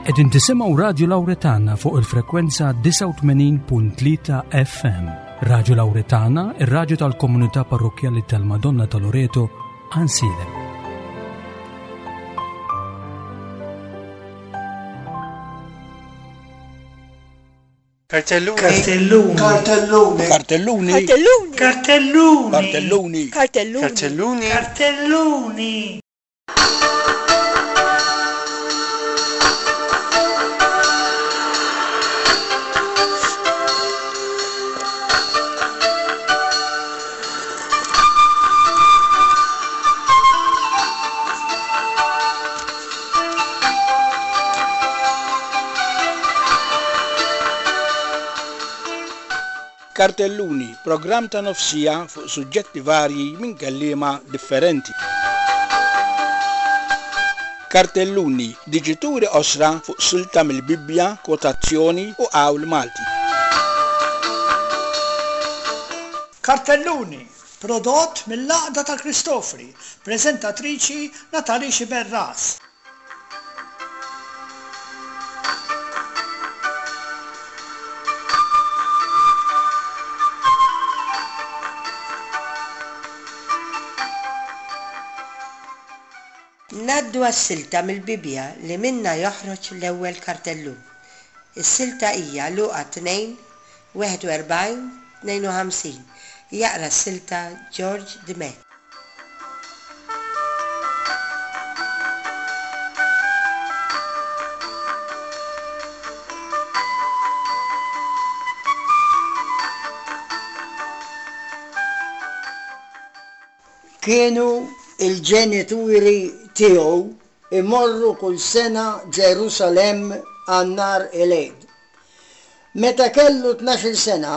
Qegħdin tisimgħu Radju Lawretana fuq il-frekwenza 89.3 FM. Radju Lawretana, ir-radju tal-komunità parrokkjali tal-Madonna ta' Loreto, Ansilem. Kartelluni. Kartelluni. Kartelluni. Kartelluni. Kartelluni. Kartelluni. Kartelluni. Kartelluni. Kartelluni. Kartelluni, programm ta' nofsija fuq suġġetti varji minn kelliema differenti. Kartelluni, diġituri qosra fuq silta mill-Bibbja, kwotazzjoni u qawl Malti. Kartelluni, prodott mill-Għaqda tal-Kristofri, preżentatriċi Natalie Sciberras. Ngħaddu għas-silta mill-Bibbja li minnha joħroġ l-ewwel kartellun. Is-silta hija Luqa 2, 41, 52. Jaqra s-silta George Dimech. Kienu l-ġenituri tiegħu jmorru kull sena Ġerusalemm għal nhar il-Għid. Meta kellu tnax-il sena,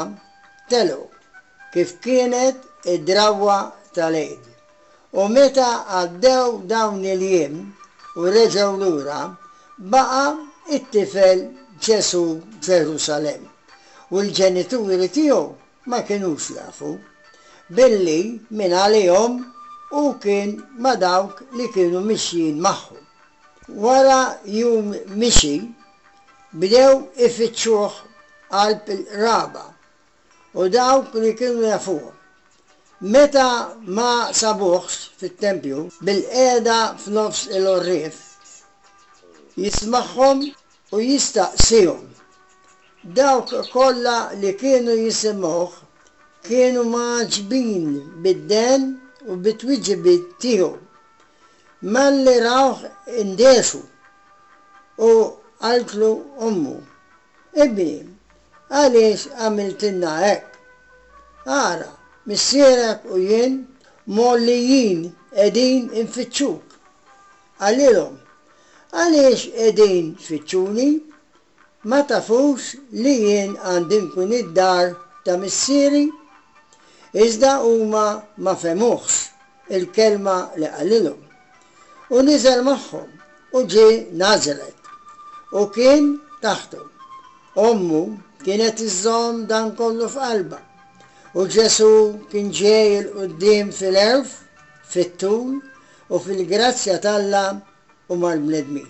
telgħu, kif kienet id-drawwa tal-Għid. U meta għaddew dawn il-jiem u reġgħu lura, baqa' t-tifel Ġesù Ġerusalemm, u l-ġenituri tiegħu ma kinux jafu, billi mingħalihom hu kien ma' dawk li kienu mixjin magħhom. Wara jum mixi, bdew ifittxuh qalb il-qraba u dawk li kienu jafuh. Meta ma sabuhx fit-tempju, bilqiegħda f'nofs il-għorrief, jismagħhom u jistaqsihom. Dawk kollha li kienu jisimgħuh kienu mgħaġġbin bid-dehen u bit-twiġibiet tiegħu. Malli rawh indehxu, u qaltlu ommu, Ibni, għaliex għamiltilna hekk? Ara, missierek u jien mgħollijin qegħdin infittxuk. Qalilhom, Għaliex qegħdin tfittxuni? Ma tafux li jien għandi nkun id-dar ta' Missieri? Iżda huma ma fehmuhx il-kelma li qalilhom. U niżel magħhom u ġie Nazaret, u kien taħthom. Ommu kienet iżżomm dan kollu f'qalbha. U Ġesù kien ġej 'il quddiem fil-għerf, fit-tul, u fil-grazzja t'Alla u mal-bnedmin.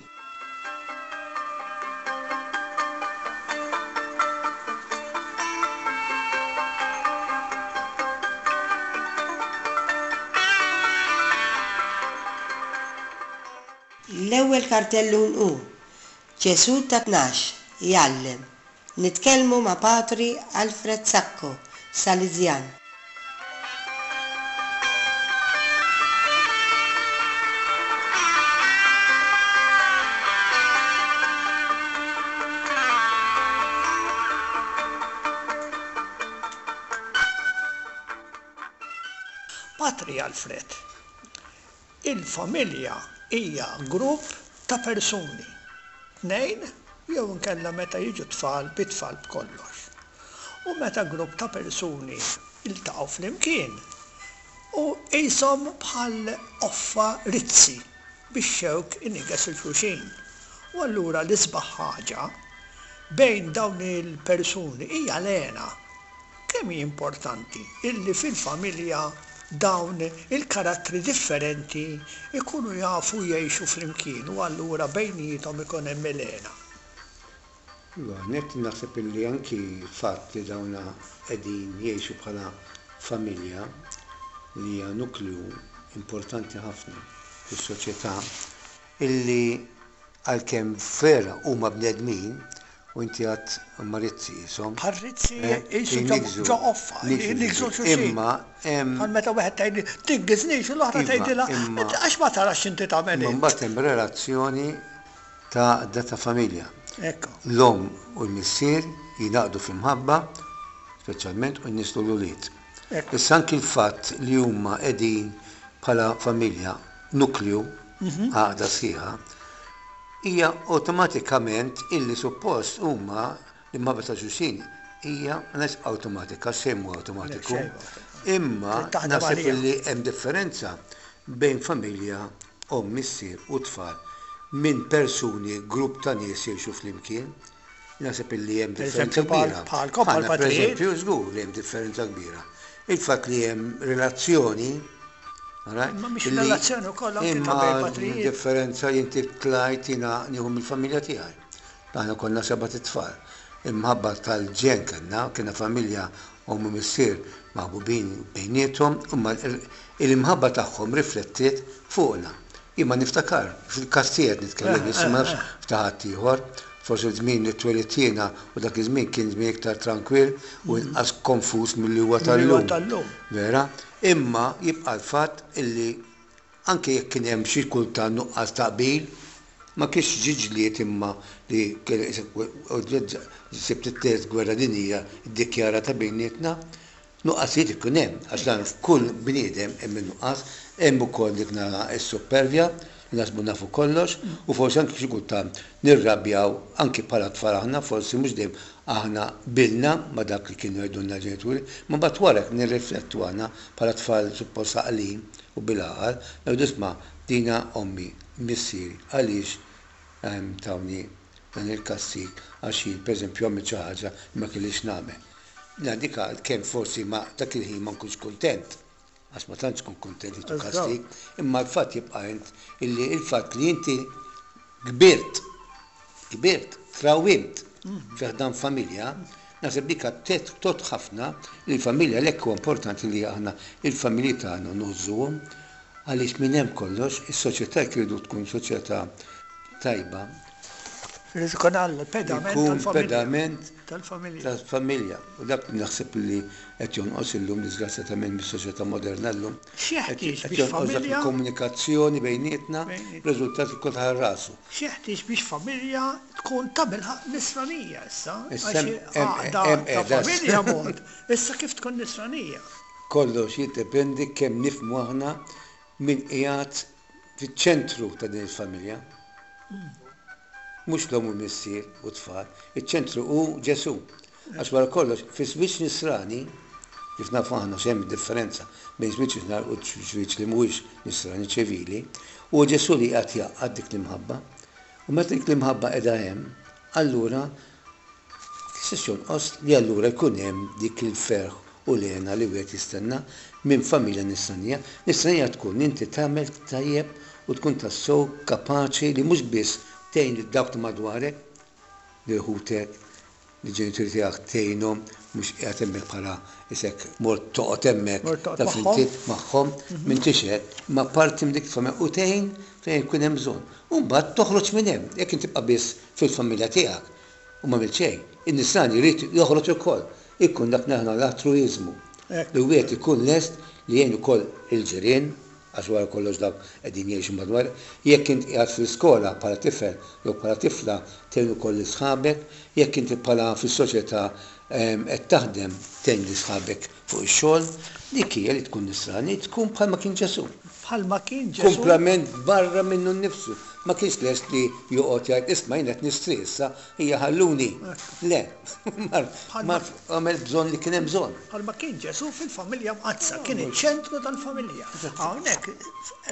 L-ewwel kartellun hu, Ġesù ta' 12, jgħallem. Nitkellmu ma' Patri Alfred Sacco, Saliżjan. Patri Alfred, Il-familja hija grupp ta' persuni, tnejn jew inkella meta jiġu tfal bi tfal b'kollox. U meta grupp ta' persuni jiltaqgħu flimkien u qishom bħal qoffa rizzi bix-xewk iniggeż 'il xulxin. U allura l-isbaħ ħaġa bejn dawn il-persuni hija l-hena. Kemm hi importanti illi fil-familja dawn il-karattri differenti jkunu jafu jgħixu flimkien u allura bejniethom ikun hemm il-hena. Iva, nett naħseb illi anki l-fatt li dawna qegħdin jgħixu bħala familja li hija nukleu importanti ħafna fis-soċjetà, illi għalkemm vera huma bnedmin, u inti għadt huma rizzi qishom. Bħal rizzi qisu ġo qoffa, jniggżu xulxin. Imma hemm. Bħal meta wieħed tgħidli tingiżnix u l-oħra tgħidilha għax ma tarax x'inti tagħmel int. Imma mbagħad hemm relazzjoni ta' għaqda ta' familja. Ekku. L-omm u l-missier jingħaqdu fl-imħabba, speċjalment u jnisslu l-ulied. Ekku. Issa anki l-fatt li huma qegħdin bħala familja, nukleu, għaqda sħiħa, hija awtomatikament illi suppost huma l-imħabba ta' xulxin hija ma ngħidx awtomatika, xejn mhu awtomatiku, imma naħseb illi hemm differenza bejn familja, omm, missier u tfal minn persuni, grupp ta' nies jgħixu flimkien. Naħseb illi hemm differenza kbira. Bħalkom, pereżempju, żgur li hemm differenza kbira. Il-fatt li hemm relazzjoni Imma mhix relazzjoni wkoll anke ta' bejn patrijiet. Differenza li inti tlajt jiena nieħu mill-familja tiegħi. Aħna konna sebat itfal. Imħabba tal-ġenn kellna, kellna familja omm u missier maħbubin bejniethom, imma l-imħabba tagħhom riflettiet fuqna. Jien ma niftakar, fil-każ tiegħi qed nitkellem issa ma nafx f'ta' ħaddieħor, forsi ż-żmien li twelidt jiena u dak iż-żmien kien żmien iktar trankwill u inqas konfuż milli huwa tal-lum. Vera? Imma jibqa' l-fatt illi anke jekk kien hemm xi kultant nuqqas ta' qbil, ma kienx ġie ġlied imma li sibt it-Tielet Gwerra Dinjija ddikjarata bejnietna. Nuqqasijiet ikun hemm, għax dan f'kull bniedem hemm in-nuqqas, hemm ukoll dik nara s-suppervja, li naħsbu nafu kollox, u forsi anki xi kultant nirrabjaw anki bħala tfal aħna forsi mhux dejjem aħna qbilna ma' dak li kienu jgħidulna l-ġenituri, imma mbagħad wara jekk nirriflettu aħna bħala tfal suppost għaqlin u bil-għaqal, ngħidu isma' dina ommi, missieri, għaliex tawni dan il-kastig għax jien pereżempju għamilt xi ħaġa li ma kellix nagħmel. Jiena dik għalkemm forsi ma dak il-ħin ma nkunx kuntent, għax ma tantx tkun kuntent li tkun kastig, imma l-fatt jibqa' int illi l-fatt li inti kbirt, kbirt, trawwimt fi ħdan familja, naħseb dik tgħodd ħafna li l-familja għalhekk huwa importanti li aħna l-familji tagħna ngħożżuhom għaliex minn hemm kollox is-soċjetà jekk irridu tkun soċjetà tajba. Irid ikun għall-pedament Ikun pedament tal-familja. Tal-familja. U dak naħseb li qed jonqos illum disgrazzjatament mis-soċjetà moderna llum. X'jeħtieġ biex familja. Qed jonqos dak il-komunikazzjoni bejnietna, b'riżultat li kulħadd għal rasu. X'jeħtieġ biex familja tkun tabilħaqq nisranija issa? Għax għaqda ta' familja mod, issa kif tkun nisranija? Kollox jiddependi kemm nifhmu aħna min qiegħed fiċ-ċentru ta' din il-familja. Mhux l-omm u l-missier u t-tfal, iċ-ċentru hu Ġesù. Għax wara kollox, fi żwieġ nisrani, kif nafu aħna x'hemm differenza bejn żwieġ nisrani u żwieġ li mhuwiex nisrani ċivili, huwa Ġesù li qiegħed jgħaqqad dik l-imħabba. U meta dik l-imħabba qiegħda hemm, allura X'se jonqos li allura jkun hemm dik il-ferħ u l-hena li wieħed jistenna minn familja nisranija? Nisranija tkun li inti tagħmel tajjeb u tkun tassew kapaċi li mhux biss tgħin lil dawk ta' madwarek, lil ħutek, lill-ġenituri tiegħek tgħinhom, mhux qiegħed hemmhekk bħala isek mort toqgħod hemmhekk taf inti magħhom, m'intix hekk, imma parti minn dik il-familja u tgħin fejn ikun hemm bżonn. U mbagħad toħroġ minn hemm, jekk inti tibqa' biss fil-familja tiegħek u m'għamilt xejn. In-nisrani jrid joħroġ ukoll, ikun dak li aħna l-altruiżmu, li wieħed ikun lest li jgħin ukoll il-ġirien, għax wara kollox dawk qegħdin jgħixu madwar. Jekk int qiegħed fl-iskola bħala tifel jew bħala tifla tgħin ukoll lil sħabek, jekk inti bħala fis-soċjetà qed taħdem tgħin lil sħabek fuq ix-xogħol. Dik hija li tkun nisrani, tkun bħalma kien Ġesù. Bħalma kien Ġesù. Kumplament barra minnu nnifsu. Ma kienx lest li joqgħod jgħid, isma' jien qed nistri issa, ejja ħalluni. Le. Mar, mar għamel bżonn li kien hemm bżonn. Bħalma kien Ġesù fil-familja mqaddsa, kien iċ-ċentru tal-familja. Hawnhekk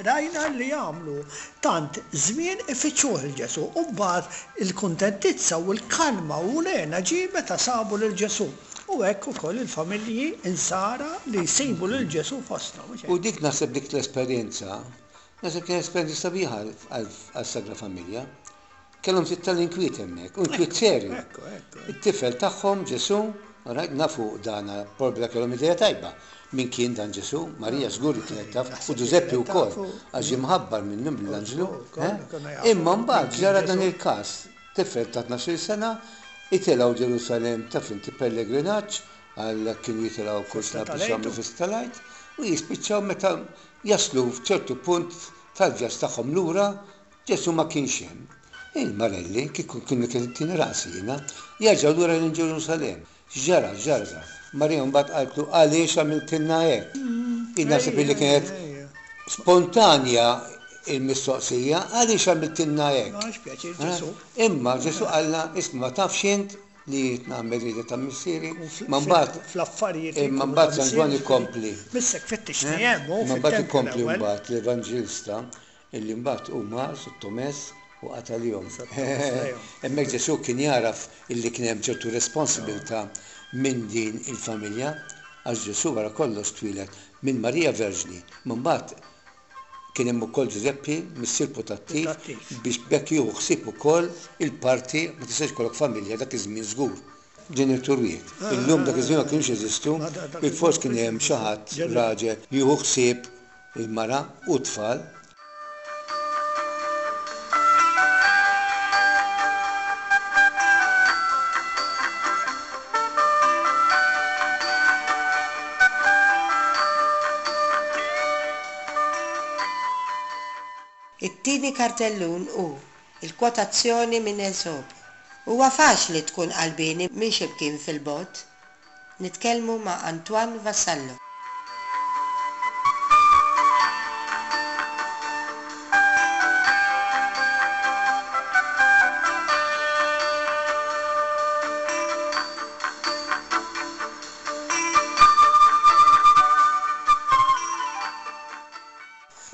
rajna li għamlu tant żmien ifittxuh lil Ġesù u mbagħad il-kuntentizza u l-kalma u l-hena ġie meta sabu lil Ġesù. U hekk ukoll il-familji Insara li jsibu lil Ġesù fosthom, mhux hekk? U dik naħseb dik l-esperjenza, naħseb kienet esperjenza sabiħa għas-Sagra Familja. Kellhom ftit tal-inkwiet hemmhekk, u inkwiet serju. It-tifel tagħhom Ġesù, alright, nafu dan probabbli kellhom idea tajba min kien dan Ġesù, Marija żgur li kienet taf, u Ġużeppi wkoll, għax ġie mħabbar minnhom mill-anġlu. Imma mbagħad ġara dan il-każ, tifel ta' tnax-il sena, itilgħu Ġerusalemm taf inti pellegrinaġġ, għal kienu jitilgħu kull sena biex jagħmlu festa tal-Għid, u jispiċċaw meta jaslu f'ċertu punt tal-vjaġġ tagħhom lura, Ġesù ma kienx hemm. Il-marelli, kieku kienu tieni rasi jiena, jerġgħu lura lejn Ġerusalemm. X'ġara, x'ġara? Marija mbagħad qaltlu, Għaliex għamiltilna hekk? Jien naħseb illi kienet spontanja l-mistoqsija, Għaliex għamiltilna hekk? Imma Ġesù qallha, Isma' ma tafx int li jien nagħmel rieda ta' Missieri? Ma mbagħad, imma mbagħad San Ġwann ikompli. Imma mbagħad ikompli mbagħad l-Evanġelista Illi mbagħad hu mar sottomess u qatalihom. Hemmhekk Ġesù kien jagħraf illi kien hemm ċertu responsibilità minn din il-familja, għax Ġesù wara kollox twieled minn Marija Verġni, imma mbagħad kien hemm ukoll Ġużeppi, missier putattiv, biex b'hekk jieħu ħsieb ukoll il-parti, ma tistax ikollok familja dak iż-żmien żgur, ġenitur wieħed. Illum dak iż-żmien ma kinux jeżistu, bilfors kien hemm xi ħadd raġel jieħu ħsieb il-mara u t-tfal. It-tieni kartellun hu l-kwotazzjoni minn Esopo. Huwa faċli tkun qalbieni minn xi mkien fil-bogħod. Nitkellmu ma' Antoine Vassallo.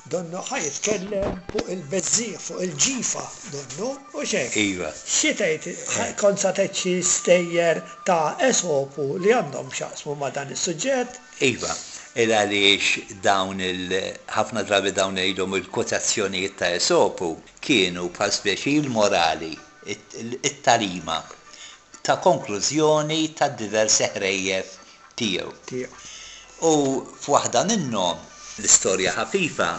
Donnu ħa jitkellem fuq il-beżżiegħ, fuq il-ġifa, donnu, hux hekk? Iva. Xi tgħid, kont sa tgħid xi stejjer ta' Esopu li għandhom x'jaqsmu ma' dan is-suġġett? Iva, il għaliex dawn il, ħafna drabi dawn ngħidhom il-kwotazzjonijiet ta' Esopu kienu bħal speċi l-morali, it-tagħlima ta' konklużjoni tad-diversi ħrejjef tiegħu. Tiegħu. U f'waħda minnhom, l-istorja ħafifa,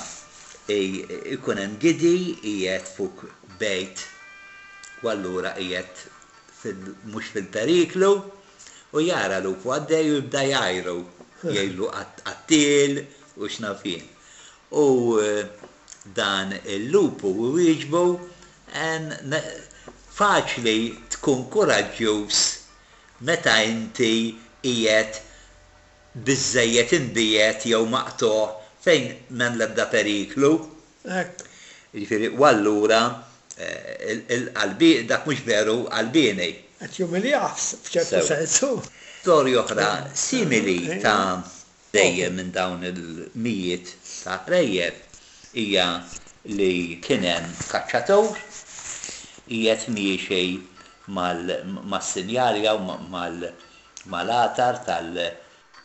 ikun hemm gidi qiegħed fuq bejt u allura qiegħed fil mhux fil-periklu u jara lupu għaddej u jibda jgħajru, jgħidlu qattiel u x'naf jien. U dan il-lupu jwieġbu, Faċli tkun kuraġġjuż Meta inti qiegħed biżżejjed imbiegħed jew maqtugħ fejn m'hemm l-ebda periklu. Hekk. Jiġifieri, u allura il-qalbi, dak mhux veru qalbieni. Qed jumiljah f'ċertu sens hu. Storja oħra simili ta' Dejjem minn dawn il-mijiet ta' ħrejjef hija li kien hemm kaċċatur qiegħed miexi mas-sinjal jew mal-għatar tal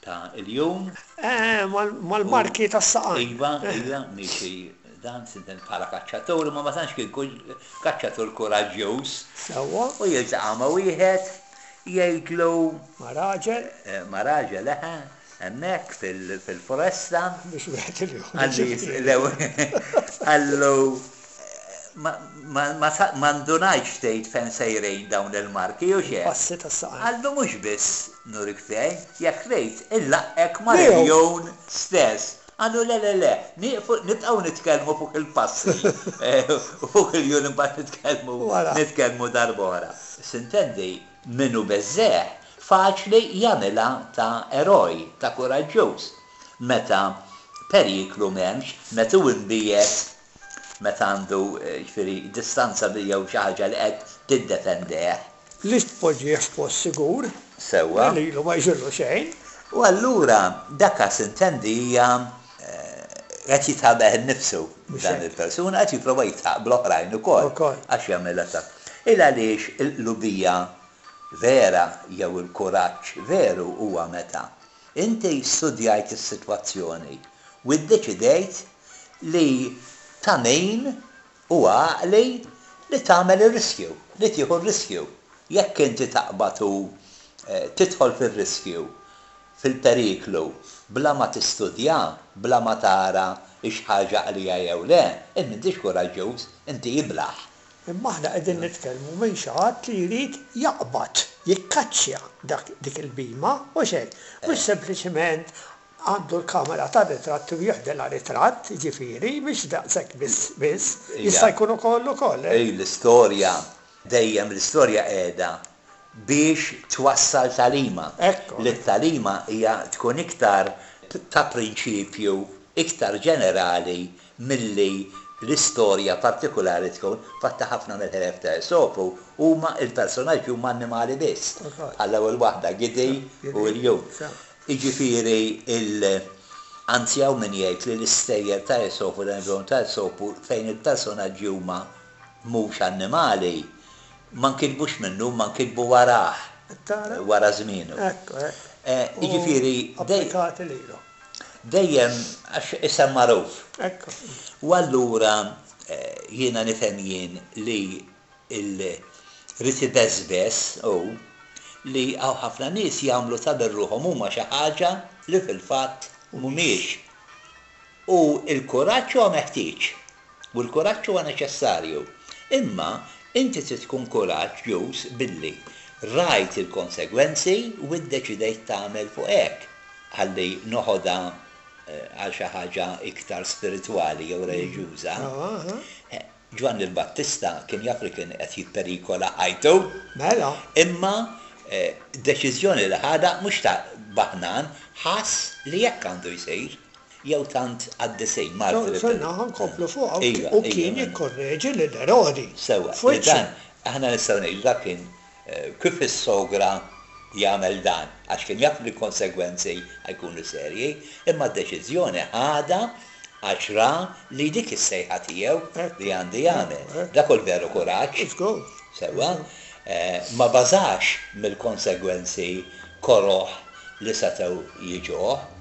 ta' iljun. Eh, mal-marki tas-saqajn. Iva, iva, miexi dan sinten bħala kaċċatur, imma ma tantx kien kaċċatur kuraġġjuż. Sewwa. U jiltaqa' ma' wieħed jgħidlu. Ma' raġel. Ma' raġel, eħe, hemmhekk fil-foresta. Mhux wieħed il-jum. Qallu, ma ndunajtx tgħid fejn sejrin dawn il-marki, hux hekk? Passi tas-saqajn. Qallu mhux biss nurik fejn, jekk trid inlaqqgħek mal-iljun stess. Qallu le le le, nieqfu nibqgħu nitkellmu fuq il-passi u fuq il-jun imbagħad nitkellmu nitkellmu darb'oħra. Sintendi, min hu beżżegħ faċli jagħmilha ta' eroj, ta' kuraġġuż, meta periklu m'hemmx, meta hu imbiegħed, meta għandu, jiġifieri, distanza jew xi ħaġa li qed tiddefendeh. Li tpoġġih f'post sigur. Sewwa. Li lilu ma jġirlu xejn. U allura dak sintendi hija qed jidħaq bih innifsu dan il-persuna, qed jipprova jidħaq bl-oħrajn ukoll għax jagħmilha ta' Il għaliex il-qlubija vera jew il-kuraġġ veru huwa meta inti studjajt is-sitwazzjoni u ddeċidejt li ta' min Huwa għaqli Li tagħmel ir-riskju, li tieħu r-riskju. Jekk inti taqbad u tidħol fir-riskju, fil-periklu, bla ma tistudja, bla ma tara hix ħaġa għaqlija jew le, int m'intix kuraġġuż, inti iblah. Imma aħna qegħdin nitkellmu minn xi ħadd li jrid jaqbad, jikkaċċja dak dik il-bhima, mhux hekk? Mhux sempliċement għandu l-kamera tar-ritratti u jieħdilha ritratt, jiġifieri, mhix daqshekk biss biss, jista' jkun ukoll ukoll, eh. L-istorja, dejjem l-istorja qiegħda biex twassal tagħlima. Li t-tagħlima hija tkun iktar ta' prinċipju iktar ġenerali milli l-istorja partikulari tkun. Fatta ħafna mill-ħrejjef ta' Esopu huma l-personaġġi huma annimali biss. Bħall-ewwel waħda, Gidi u l-Ljun. Jiġifieri il Anzi hawn min jgħid li l-istejjer ta' Esopu, dan il-volum ta' Esopu fejn il-personaġġi huma mhux annimali, ma nkitbux minnu imma nkitbu warah, wara żmienu. Jiġifieri dejjem għax isem magħruf. U allura jiena nifhem jien li l-ried ibeżbeż hu li hawn ħafna nies jagħmlu ta' bir-ruħhom huma xi ħaġa li fil-fatt mhumiex. U l-kuraġġ huwa meħtieġ. U l-kuraġġ huwa neċessarju. Imma inti trid tkun kuraġġjuż billi rajt il-konsegwenzi u ddeċidejt tagħmel fuq hekk. Ħalli noħodha għal xi ħaġa iktar spiritwali jew reliġjuża. Ġwanni l-Battista kien jaf li kien qed jipperikola ħajtu. Mela. Imma deċiżjoni li ħadha mhux ta' baħnan, ħass li hekk għandu jsir. Jew tant qaddisin, martri. Sonna, ħa nkomplu fuqha. U kien jikkorreġi lil Erodi. Sewwa. F'wiċċu. Aħna nistgħu ngħidu dak kien Kif issogra jagħmel dan? Għax kien jaf li l-konsegwenzi ħa jkunu serji, imma d-deċiżjoni ħadha għax ra li dik is-sejħa tiegħu li għandu jagħmel. Dak hu l-veru kuraġġ. Sewwa? Ma bażax mill-konsegwenzi koroh li setgħu jiġuh.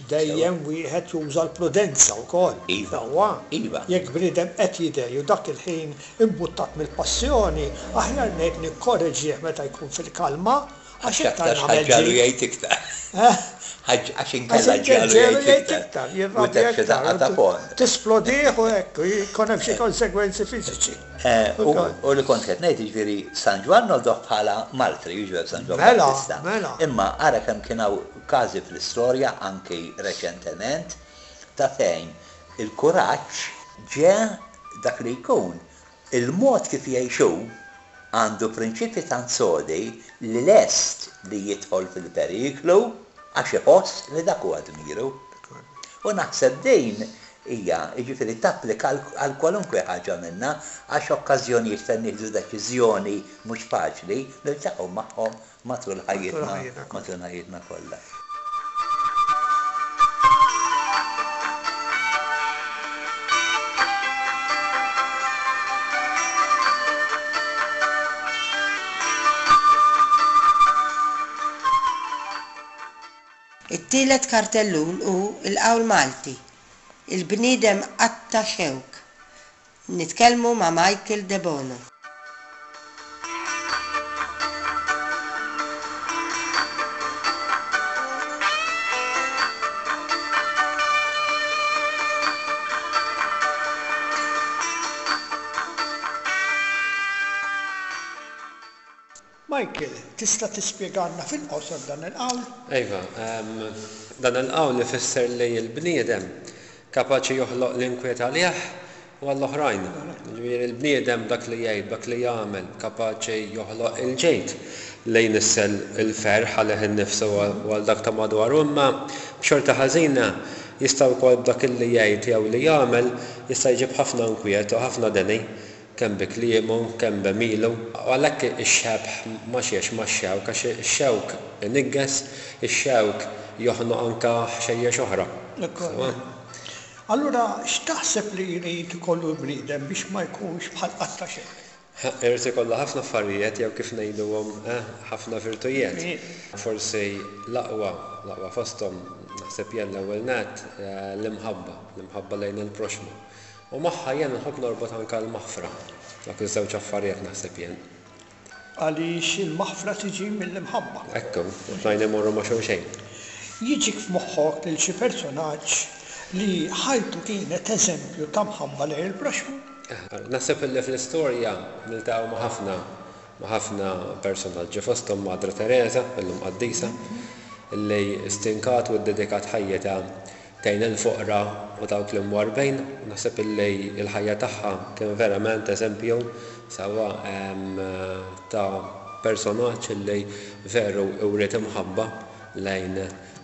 Dejjem wieħed juża l-prudenza wkoll. Iva. Sewwa? Iva. Jekk bniedem qed jidgħi u dak il-ħin imbuttat mill-passjoni, aħjar ngħid nikkoreġih meta jkun fil-kalma, għax iktar Għax nagħmel ħaġġalu ġid. jgħid iktar. Eh? Għax Għax inkella inkella ġġagħlu ġġegħlu jgħid jgħid iktar. iktar, U jirrabja jtek xi iktar, daqqa ta' ponn. tisplodih u hekk, u jkun hemm xi konsegwenzi fiżiċi. U u li kont qed ngħid, jiġifieri San Ġwann noħduh bħala martri, jiġifieri San Ġwann Mela, Battista. mela. Imma ara kemm kien hawn Każi fl-istorja, anki reċentement, ta' fejn il-kuraġġ ġe dak li jkun, il-mod kif jgħix hu, għandu prinċipji tant sodi li lest li jidħol fil-periklu għax iħoss li dak huwa dmiru. U naħseb din hija, jiġifieri tapplika għal kwalunkwe ħaġa minna għax okkażjonijiet fejn nieħdu deċiżjoni mhux faċli niltaqgħu magħhom Matul ħajjitna, matul ħajjitna kollha. It-tielet kartellun hu l-qawl Malti, Il-bniedem qatta' xewk. Nitkellmu ma' Michael Debono. Michael, tista' tispjegalna fil-qosor dan il-qawl? Iva, dan il-qawl ifisser li l-bniedem kapaċi joħloq l-inkwiet għalih u għall-oħrajn. Jiġifieri l-bniedem b'dak li jgħid, b'dak li jagħmel, kapaċi joħloq il-ġid li jnissel il-ferħ għalih innifsu u għal dak ta' madwaru imma b'xorti ħażina jista' wkoll b'dak li jgħid jew li jagħmel jista' jġib ħafna inkwiet u ħafna deni kemm bi kliemu, kemm b'għemilu. U għalhekk ix-xebh ma' xiex? Max-xewk, għax ix-xewk iniggeż, ix-xewk joħnoq anke ħxejjex oħra. Sewwa? Allura x'taħseb li jrid ikollu l-bniedem biex ma jkunx bħal qatta xewk? Irid ikollu ħafna affarijiet jew kif ngħiduhom, eh, ħafna virtujiet. Forsi l-aqwa, l-aqwa fosthom, naħseb jien l-ewwel nett, l-imħabba, l-imħabba lejn il-proxxmu. U magħha jien nħobb norbot anke l-maħfra. Dawk iż-żewġ affarijiet naħseb jien. Għaliex il-maħfra tiġi mill-imħabba. Hekk hu, u t-tnejn imorru ma' xulxejn. Jiġik f'moħħok lil xi personaġġ li ħajtu kienet eżempju ta' mħabba lejn il-proxxmu? Naħseb illi fl-istorja niltaqgħu ma' ħafna ma' ħafna personaġġi, fosthom Madre Teresa, illum qaddisa, illi stinkat u ddedikat ħajjitha tgħin il-foqra u dawk l-imwarrbin. Naħseb illi l-ħajja tagħha kien verament eżempju sewwa ta' personaġġ illi veru wriet imħabba lejn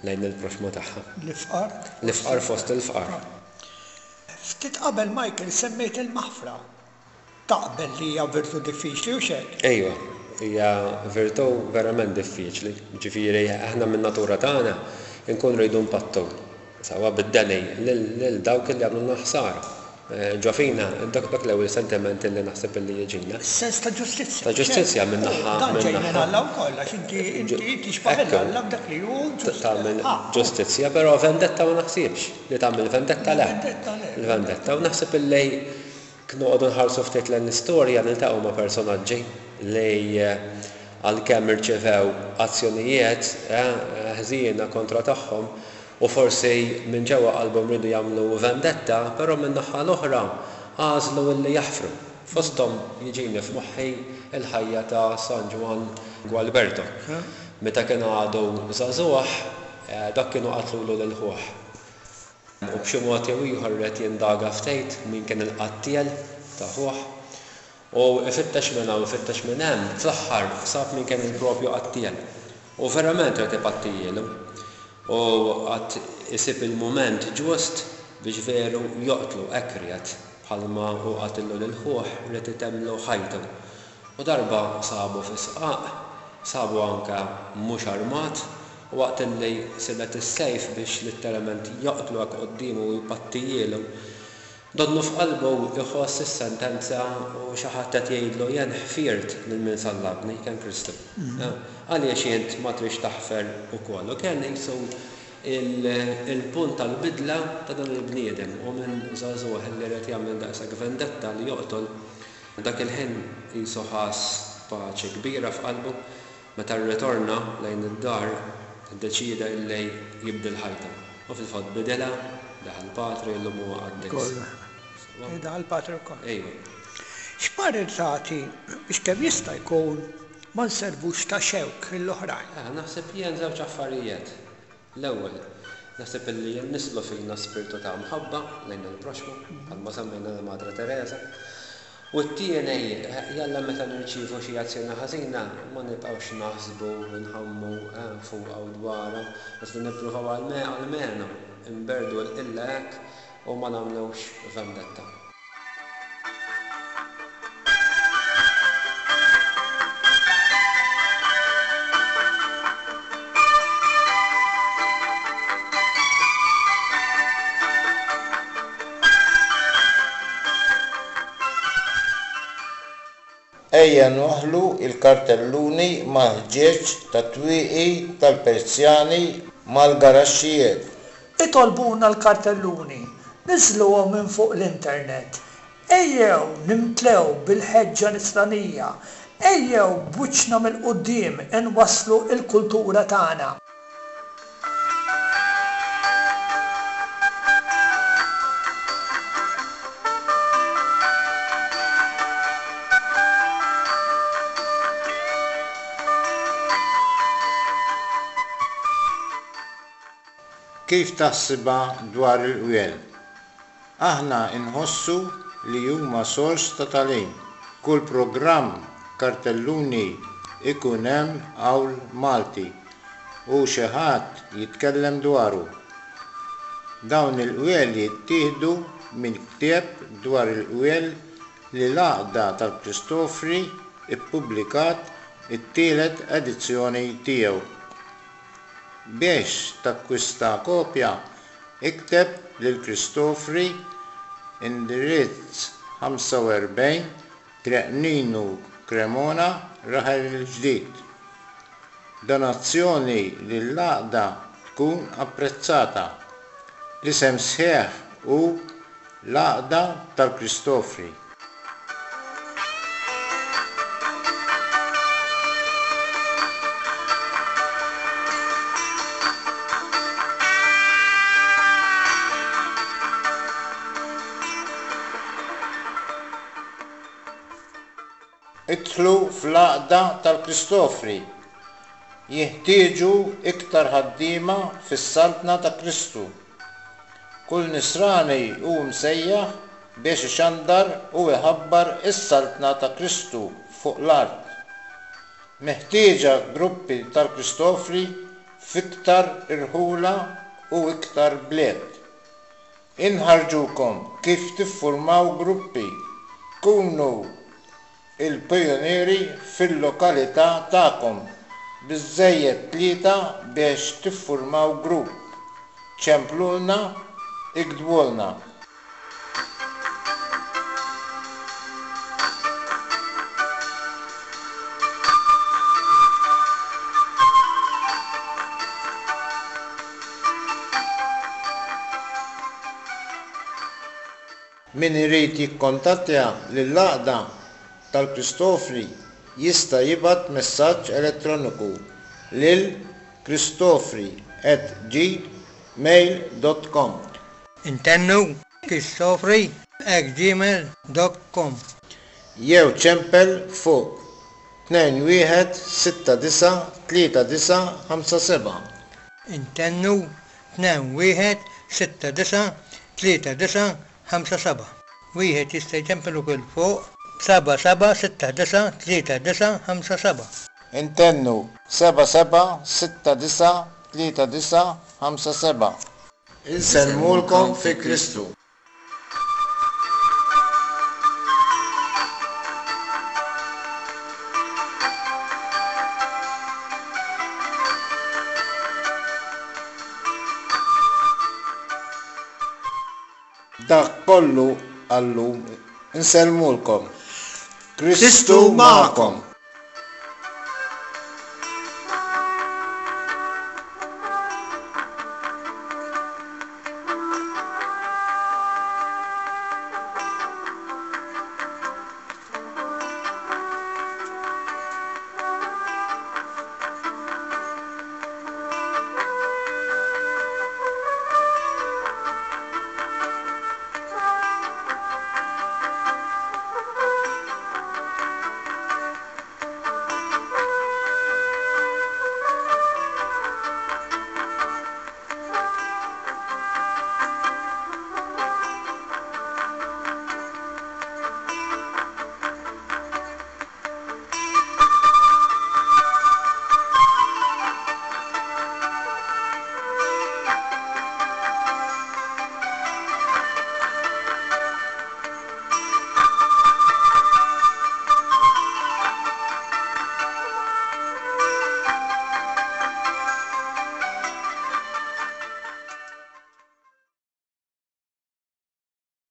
lejn il-proxxmu tagħha. L-ifqar. L-ifqar fost il-fqar. Ftit qabel Michael semmejt il-maħfra. Taqbel li hija virtù diffiċli, hux hekk? Ejwa, hija virtù verament diffiċli. Jiġifieri aħna min-natura tagħna nkunu rridu npattu, sewwa bid-deni, lil dawk li għamlulna ħsara. Ġo fina, dak l-ewwel sentiment li naħseb li jiġina. Sens ta' ġustizzja. Ta' ġustizzja min-naħa. Dan ġej minn Alla wkoll, għax inti inti tixbah 'il Alla f'dak li hu ġust. Tagħmel ġustizzja, però vendetta ma naħsibx li tagħmel vendetta le. Vendetta le. Il-vendetta u naħseb illi Jekk noqogħdu nħarsu ftit lejn l-istorja niltaqgħu ma' personaġġi li għalkemm irċevew azzjonijiet ħżiena kontra tagħhom u forsi minn ġewwa qalbhom riedu jagħmlu vendetta, però min-naħa l-oħra għażlu illi jaħfru. Fosthom jiġini f'moħħi l-ħajja ta' San Ġwann Gualberto. Meta kien għadu żagħżugħ, dak kienu qatlulu lil ħuh. U b'xi mod jew ieħor ried jindaga ftit min kien il-qattiel ta' ħuh. U ifittex minn hawn, ifittex minn hemm, fl-aħħar sab min kien il-propju qattiel. U verament ried ipattijielu. U qagħad isib il-mument ġust biex veru joqtlu, hekk ried. Bħalma hu qatillu lil ħuh, ried itemmlu ħajtu. U darba sabu fi sqaq, sabu anke mhux armat, u waqt illi silet is-sejf biex litteralment joqtlu hekk quddiemu u jpattijielu, donnu f'qalbu jħoss is-sentenza u xi ħadd qed jgħidlu jien ħfirt lil min sallabni, kien Kristu. Għaliex int ma tridx taħfer ukoll? U kien qisu il-punt tal-bidla ta' dan il-bniedem, u minn żagħżugħ illi ried jagħmel daqshekk vendetta li joqtol, Dak il-ħin qisu ħass paċi kbira f'qalbu. Meta rritorna lejn id-dar, iddeċieda illi jibdel ħajtu. U fil-fatt bidilha, daħal patri u llum huwa qaddis. Sewwa? Daħal patri wkoll. Ejwa. X'parir tagħti biex kemm jista' jkun ma nservux ta' xewk lill-oħrajn? Naħseb jien żewġ affarijiet. L-ewwel, naħseb illi jinnisslu fina spirtu ta' mħabba lejn il-proxxmu, bħalma semmejna lil Madre Teresa. U t-tieni, jalla meta nirċievu xi azzjoni ħażina ma nibqgħux naħsbu u nħammu fuqha u dwarha, iżda nippruvaw almenu nberrdu l-qilla hekk u ma nagħmlux vendetta. Ejja nwaħħlu l-kartelluni mal-ħġieġ tat-twieqi tal-persjani mal-garaxxijiet. Itolbuna l-kartelluni, niżżluhom minn fuq l-internet. Ejjew nimtlew bil-ħeġġa nisranija, ejjew b'wiċċna mill-quddiem inwasslu l-kultura tagħna. Kif taħsibha dwar il-qwiel? Aħna nħossu li huma sors ta' tagħlim. Kull programm kartelluni ikun hemm qawl Malti u xi ħadd jitkellem dwaru. Dawn il-qwiel jittieħdu minn ktieb dwar il-qwiel li l-Għaqda tal-Kristofri ppubblikat it-tielet edizzjoni tiegħu. Biex takkwista kopja, ikteb lil Kristofri, indirizz 45, Triq Ninu Cremona, Raħal il-Ġdid. Donazzjoni lill-Għaqda tkun apprezzata. L-isem sħiħ hu. L-Għaqda tal-Kristofri. Idħlu fl-Għaqda tal-Kristofri. Jinħtieġu iktar ħaddiema fis-Saltna ta' Kristu. Kull Nisrani hu msejjaħ biex ixandar u iħabbar is-Saltna ta' Kristu fuq l-art. Meħtieġa gruppi tal-Kristofri f'iktar irħula u iktar bliet. Inħarrġukom kif tiffurmaw gruppi. Kunu il-pijunieri fil-lokalità tagħkom. Biżżejjed tlieta biex tiffurmaw grupp. Ċemplulna, iktbulna. Min irid jikkontattja lill-Għaqda tal-Kristofri jista' jibgħat messaġġ elettroniku lil kristofri@gmail.com. Intennu, kristofri@gmail.com. Jew ċempel fuq 2169 3957. Intennu, 2169 3957. Wieħed jista' jċempel ukoll fuq 7769 3957. Intennu, 7769 3957. Insellmulkom fi Kristu. Dak kollu għal-lum. Insellmulkom. Kristu magħkom.